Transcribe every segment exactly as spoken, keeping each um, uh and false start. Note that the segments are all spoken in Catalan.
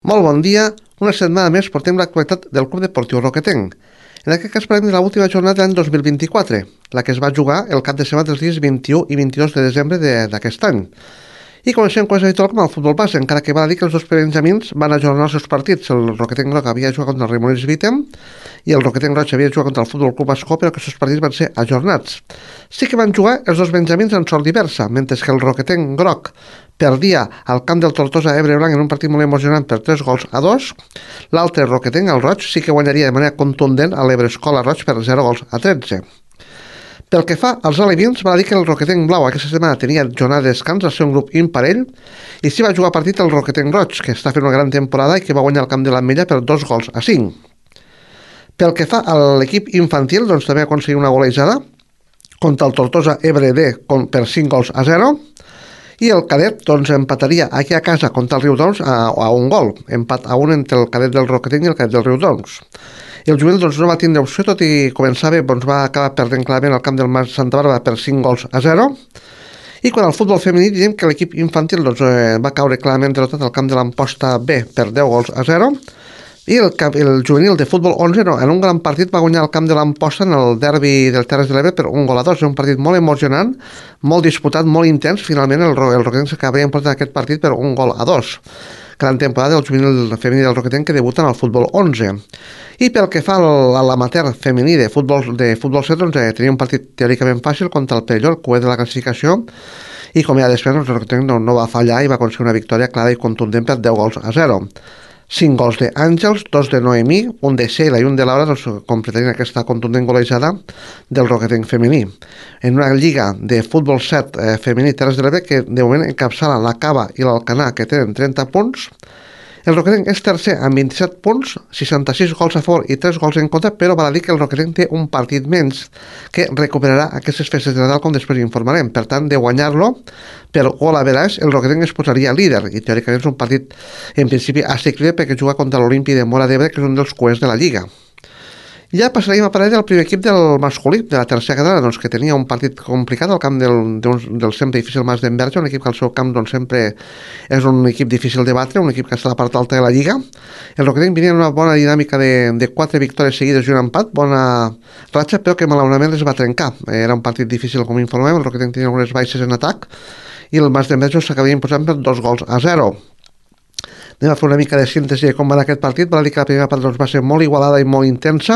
Molt bon dia. Una setmana més portem l'actualitat del Club Deportiu Roquetenc. En aquest cas parlem de l'última jornada de l'any dos mil vint-i-quatre, la que es va jugar el cap de setmana dels dies vint-i-u i vint-i-dos de desembre de- d'aquest any. I comencem, com és habitual, com el futbol base, encara que val a dir que els dos benjamins van ajornar els seus partits. El Roquetenc Groc havia jugat contra el Remolins Vitem i el Roquetenc Roig havia jugat contra el Futbol Club Ascó, però aquests partits van ser ajornats. Sí que van jugar els dos benjamins en sort diversa, mentre que el Roquetenc Groc perdia al camp del Tortosa Ebre Blanc en un partit molt emocionant per tres gols a dos. L'altre Roquetenc, el Roig, sí que guanyaria de manera contundent a l'Ebre Escola Roig per zero gols a tretze. Pel que fa als alevins, va dir que el Roquetenc Blau aquesta setmana tenia jornada de descans al seu grup imparell i s'hi va jugar partit el Roquetenc Roig, que està fent una gran temporada i que va guanyar el camp de l'Ametlla per dos gols a cinc. Pel que fa a l'equip infantil, doncs també va aconseguir una golejada contra el Tortosa Ebre D per cinc gols a zero. I el cadet doncs, empataria aquí a casa contra el Riudoms a, a un gol, empat a un entre el cadet del Roquetenc i el cadet del Riudoms. I el juvenil doncs, no va tindre opció, tot i començar bé, doncs, va acabar perdent clarament al camp del Mas Santa Bàrbara per cinc gols a zero. I quan al futbol femení diem que l'equip infantil doncs, eh, va caure clarament derrotat al camp de l'Amposta B per deu gols a zero. I el, el juvenil de futbol onze, no, en un gran partit, va guanyar el camp de l'Amposta en el derbi del Terres de l'Ebre per un gol a dos. És un partit molt emocionant, molt disputat, molt intens. Finalment el, el Roquetenc s'acabaria emportant aquest partit per un gol a dos. Gran temporada del juvenil femení del Roquetenc que debuta en el futbol onze. I pel que fa a l'amateur femení de futbol, de futbol set, doncs, eh, tenia un partit teòricament fàcil contra el Perelló, el cué de la classificació, i com ja després doncs, el Roquetenc no, no va fallar i va aconseguir una victòria clara i contundent per deu gols a zero. cinc gols d'Àngels, dos de Noemí, un de Sheila i un de Laura doncs, completarien aquesta contundent golejada del Roquetenc femení. En una lliga de futbol set eh, femení Terres de l'Ebre que de moment encapçala la Cava i l'Alcanar, que tenen trenta punts. El Roquetenc és tercer amb vint-i-set punts, seixanta-sis gols a favor i tres gols en contra, però val a dir que el Roquetenc té un partit menys que recuperarà aquestes festes de Nadal, com després informarem. Per tant, de guanyar-lo per gol a veràs, el Roquetenc es posaria líder i teòricament és un partit en principi assequible perquè juga contra l'Olimpi de Móra d'Ebre, que és un dels cuers de la Lliga. Ja passaríem a parlar del primer equip del masculí, de la tercera catalana, doncs, que tenia un partit complicat al camp del, del, del sempre difícil Mas d'Enverge, un equip que al seu camp doncs, sempre és un equip difícil de batre, un equip que està a la part alta de la Lliga. El Roquetenc venia en una bona dinàmica de, de quatre victòries seguides i un empat, bona ratxa, però que malauradament es va trencar. Era un partit difícil, com informem, el Roquetenc tenia algunes baixes en atac i el Mas d'Enverge s'acabia imposant per dos gols a zero. Anem a fer una mica de síntesi de com va anar aquest partit. Val a dir que la primera part doncs, va ser molt igualada i molt intensa,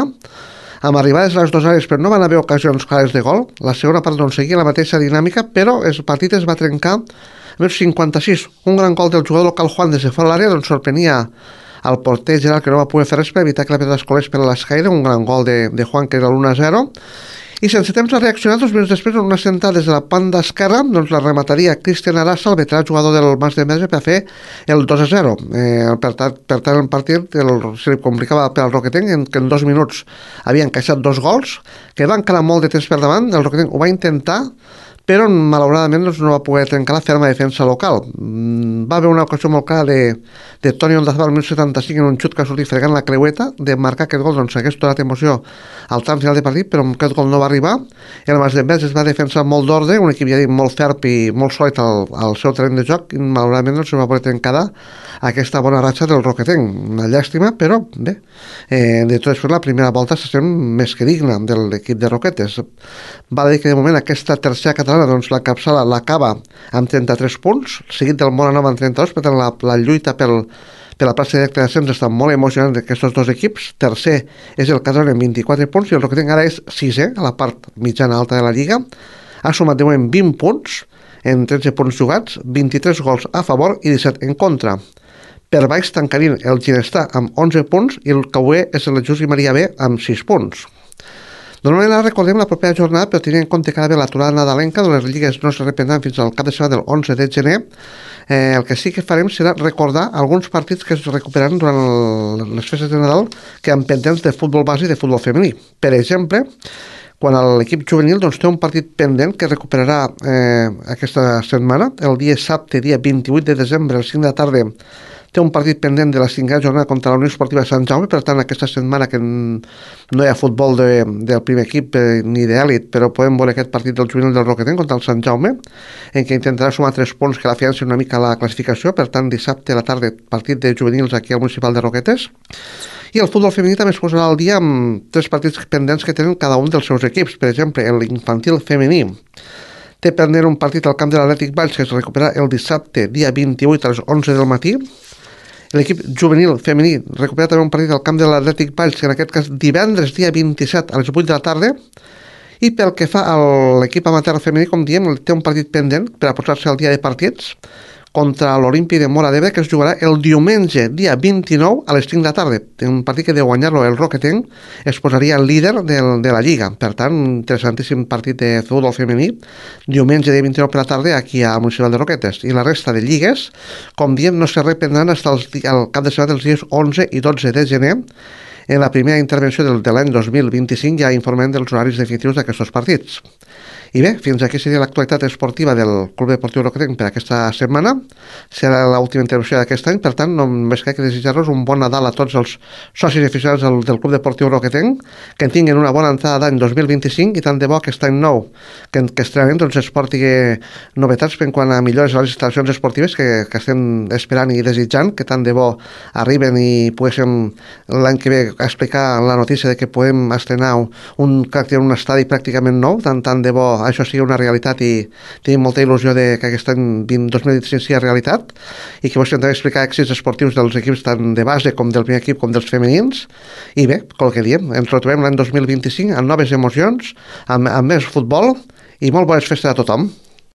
amb arribades a les dues àrees, però no van haver ocasions clares de gol. La segona part doncs, seguia la mateixa dinàmica, però el partit es va trencar a més cinquanta-sis. Un gran gol del jugador local Juan des de fora l'àrea doncs, sorprenia al porter Gerard, que no va poder fer res per evitar que la pilota es colés per l'escaire. Un gran gol de, de Juan, que era l'u a zero. I sense temps a reaccionar, dos minuts després, en una sentada des de la banda esquerra, doncs la remataria Cristian Arassa, el veterà jugador del Mas d'Enverge, per fer el dos a zero. Eh, per, tant, per tant, el partit el, se li complicava per al Roquetenc, en, que en dos minuts havia encaixat dos gols, que van quedar molt de temps per davant. El Roquetenc ho va intentar, però malauradament doncs, no va poder trencar la ferma defensa local. Mm, va haver una ocasió molt clara de, de Toni Ondazabal al minut setanta-cinc en un xut que ha sortit fregant la creueta de marcar aquest gol, doncs hagués donat emoció al tram final de partit, però aquest gol no va arribar. El Mas d'Enverge es va defensar molt d'ordre, un equip ja dit molt ferp i molt sòlid al, al seu terreny de joc, i malauradament no se va poder trencar aquesta bona ratxa del Roquetenc. Una llàstima, però bé, eh, de tot després la primera volta se sent més que digna de l'equip de Roquetes. Va dir que de moment aquesta tercera catalana doncs la capçala l'acaba amb trenta-tres punts, seguit del Móra Nova amb trenta-dos, per tant la, la lluita pel, per la plaça directa d'ascens està molt emocionant d'aquests dos equips. Tercer és el Casalona amb vint-i-quatre punts i el Roquetenc ara és sisè a la part mitjana alta de la Lliga. Ha sumat de moment vint punts en tretze punts jugats, vint-i-tres gols a favor i disset en contra. Per baix tancarien el Ginestà amb onze punts i el Cauer és el Just i Maria B amb sis punts. Normalment ara recordem la propera jornada, però tenint en compte que ara ve l'aturada nadalenca, les lligues no es reprendran fins al cap de setmana del onze de gener. Eh, el que sí que farem serà recordar alguns partits que es recuperaran durant el, les festes de Nadal que han pendents de futbol base i de futbol femení. Per exemple, quan l'equip juvenil doncs, té un partit pendent que recuperarà eh, aquesta setmana, el dia dissabte, dia vint-i-vuit de desembre, el cinc de la tarda, té un partit pendent de la cinquena jornada contra la Unió Esportiva Sant Jaume, per tant aquesta setmana que no hi ha futbol de, del primer equip eh, ni d'èlit, però podem veure aquest partit del juvenil del Roquetent contra el Sant Jaume, en què intentarà sumar tres punts que l'afiancin una mica la classificació. Per tant, dissabte a la tarda partit de juvenils aquí al municipal de Roquetes. I el futbol femení també es posarà al dia amb tres partits pendents que tenen cada un dels seus equips. Per exemple, l'infantil femení té pendent un partit al camp de l'Atlètic Valls que es recuperarà el dissabte, dia vint-i-vuit a les onze del matí. L'equip juvenil femení recupera també un partit al camp de l'Atlètic Valls, que en aquest cas divendres, dia vint-i-set a les vuit de la tarda. I pel que fa a l'equip amateur femení, com diem, té un partit pendent per a posar-se al dia de partits contra l'Olimpi de Móra d'Ebre, que es jugarà el diumenge, dia vint-i-nou, a les cinc de la tarda. Un partit que de guanyar-lo el Roquetent es posaria líder del, de la Lliga. Per tant, un interessantíssim partit de futbol femení, diumenge de vint-i-nou per la tarda, aquí al municipal de Roquetes. I la resta de lligues, com diem, no se reprendran fins al cap de setmana dels dies onze i dotze de gener. En la primera intervenció del, de l'any dos mil vint-i-cinc ja informem dels horaris definitius d'aquests partits. I bé, fins aquí seria l'actualitat esportiva del Club Deportiu Roquetent per aquesta setmana. Serà l'última intervenció d'aquest any, per tant, només cal que desitjar-los un bon Nadal a tots els socis i aficionats del, del Club Deportiu Roquetent, que en tinguin una bona entrada d'any dos mil vint-i-cinc i tant de bo aquest any nou que, que estrenem doncs, es porti novetats en quant a millores a les instal·lacions esportives que, que estem esperant i desitjant, que tant de bo arriben i poguéssim l'any que ve explicar la notícia de que podem estrenar un, un, un estadi pràcticament nou, tant, tant de bo això sigui una realitat i tenim molta il·lusió de que aquest any dos mil vint-i-cinc sigui realitat i que vos intentaré explicar èxits esportius dels equips tant de base com del primer equip com dels femenins. I bé, com que diem, ens retrobem l'any dos mil vint-i-cinc amb noves emocions, amb, amb més futbol i molt bones festes a tothom.